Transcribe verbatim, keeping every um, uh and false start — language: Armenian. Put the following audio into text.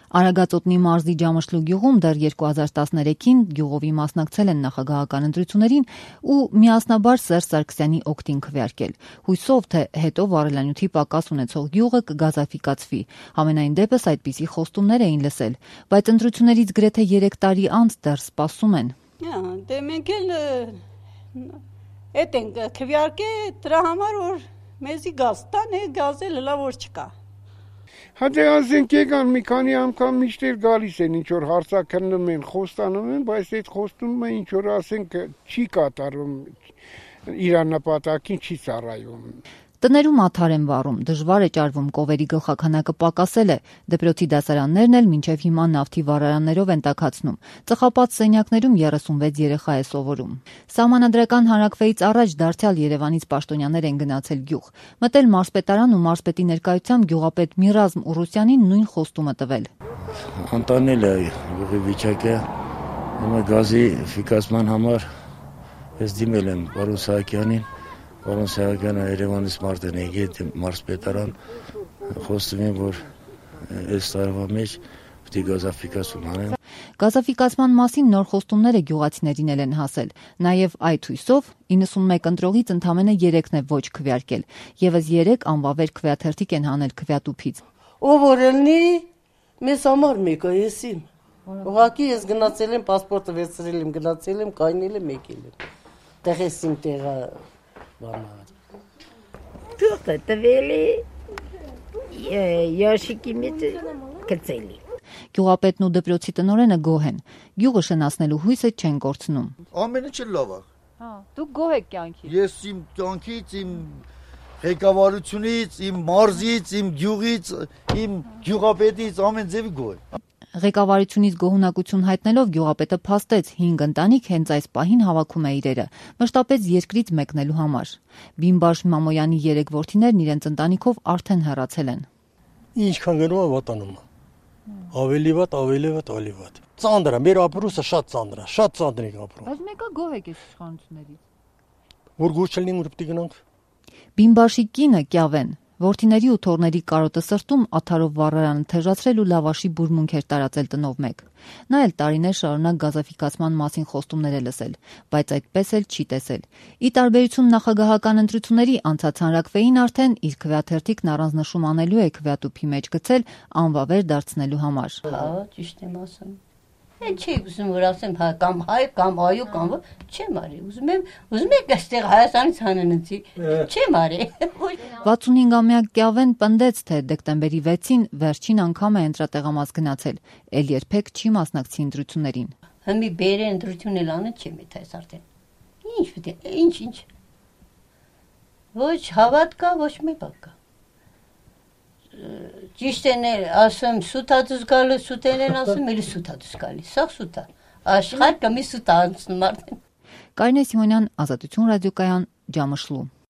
Արագածոտնի մարզի Ջամշլու գյուղում դեռ երկու հազար տասներեքին գյուղովի մասնակցել են նախագահական ընտրություններին ու միասնաբար Սերժ Սարգսյանի օգտին քվեարկել։ Հույսով, թե հետո վառելանյութի պակաս ունեցող գյուղը կգազաֆիկացվի։ Համենայն դեպս այդպիսի խոստումներ էին լսել, բայց ընտրություններից գրեթե երեք տարի անց դեռ սպասում են։ Դե մենք էլ էդ ենք քվեարկե դրա համար որ մեզի գազ տան, է գազը լավ որ չկա։ Հա դե ասենք եկան մի քանի անգամ միշտ գալիս են ինչ որ հարցաքննում են, խոստանում են, բայց այդ խոստումը ինչ որ ասենք չի կատարում, իր նպատակին չի ծառայում։ Տներում աթար են վառում, դժվար է ճարվում, կովերի գլխաքանակը պակասել է, դպրոցի դասարաններն էլ մինչև հիմա նավթի վառարաններով են տաքացնում, ծխապատ սենյակներում երեսունվեց երեխա է սովորում։ Սահմանադրական հանրաքվեից առաջ դարձյալ Երևանից պաշտոնյաներ են գնացել գյուղ, մտել մարզպետարան ու մարզպետի ներկայությամբ գյուղապետ Միրազմ Ուրուսյանին նույն խոստումը տվել։ Անտանել է գյուղի վիճակը, հիմա գազի ֆիկացման համար ես դիմել եմ պարոն Սահակյանին, Պարոն Սահակյանը Երևանից մարդ են եկել մարզպետարան, խոստում են, որ այս տարվա մեջ պիտի գազաֆիկացում անեն։ Գազաֆիկացման մասին նոր խոստումները գյուղացիներին են հասել։ Նաև այդ հույսով իննսունմեկ ընտրողից ընդամենը երեքն է ոչ քվեարկել, եւս երեք անվավեր քվեաթերթիկ են հանել քվեատուփից։ Ով օրելնի մեզ համար մեկը եսիմ։ Ուղղակի ես գնացել եմ, պասպորտը վերցրել եմ, գնացել եմ, կայնել եմ, եկել եմ։ Տեղեսիմ տեղը Թուղթը տվել է ящики մեջ գցելի։ Գյուղապետն ու դպրոցի տնօրենը գոհ են։ Գյուղը շնացնելու հույսը չեն կորցնում։ Ամենը չէ լավ է։ Հա, դուք գոհ եք կյանքից։ Ես իմ կյանքից, իմ ղեկավարությունից, իմ մարզից, իմ գյուղից, իմ գյուղապետից ամեն ձևի գոհ եմ։ Ղեկավարությունից գոհունակություն հայտնելով գյուղապետը փաստեց հինգ ընտանիք հենց այս պահին հավաքում է իրերը, մշտապես երկրից մեկնելու համար։ Բիմբաշ Մամոյանի երեք որդիներն իրենց ընտանիքով արդեն հեռացել են։ Ինչքան գնում է վատանում է։ Ավելի վատ, ավելի վատ, ավելի վատ։ Ծանր է, մեր ապրուսը շատ ծանր է, շատ ծանր է ապրում։ Բայց մեկը գոհ եք այս իշխանություններից։ Որ գոհ չլինի, որ պիտի գնանք։ Բիմբաշի կինը Կյավեն որդիների ու թոռների կարոտը սրտում աթարով վառարանը թեժացրել ու լավաշի բուրմունք էր տարածել տնով մեկ։ Նա էլ տարիներ շարունակ գազաֆիկացման մասին խոստումներ է լսել, բայց այդպես էլ չի տեսել։ Ի տարբերություն նախագահական ընտրությունների անցած հանրաքվեին արդեն իր քվեաթերթիկն առանձնշում անելու է քվեատուփի մեջ գցել անվավեր դարձնելու համար։ Հա, ճիշտ եմ ասում։ Են չի ուզում որ ասեմ հա կամ հայ կամ այո կամ չեմ արի ուզում եմ ուզում եք այստեղ Հայաստանից հանենցի չեմ արի վաթսունհինգամյա Կյավեն պնդեց թե դեկտեմբերի վեցին վերջին անգամ է ընտրատեղամաս գնացել ել երբեք չի մասնակցի ընտրություններին հիմի բերե ընտրություն էլ անը չեմ էդ այս արդեն ինչ պիտի ինչ ինչ ոչ հավատ կա ոչ մի բան կա Ճիշտ են ասում սուտադուս գալը սուտեն են ասում էլի սուտադուս գալի սա սուտա աշխարհ կամի սուտա անցնում արդեն Կարինե Սիմոնյան Ազատություն ռադիոկայան Ջամշլու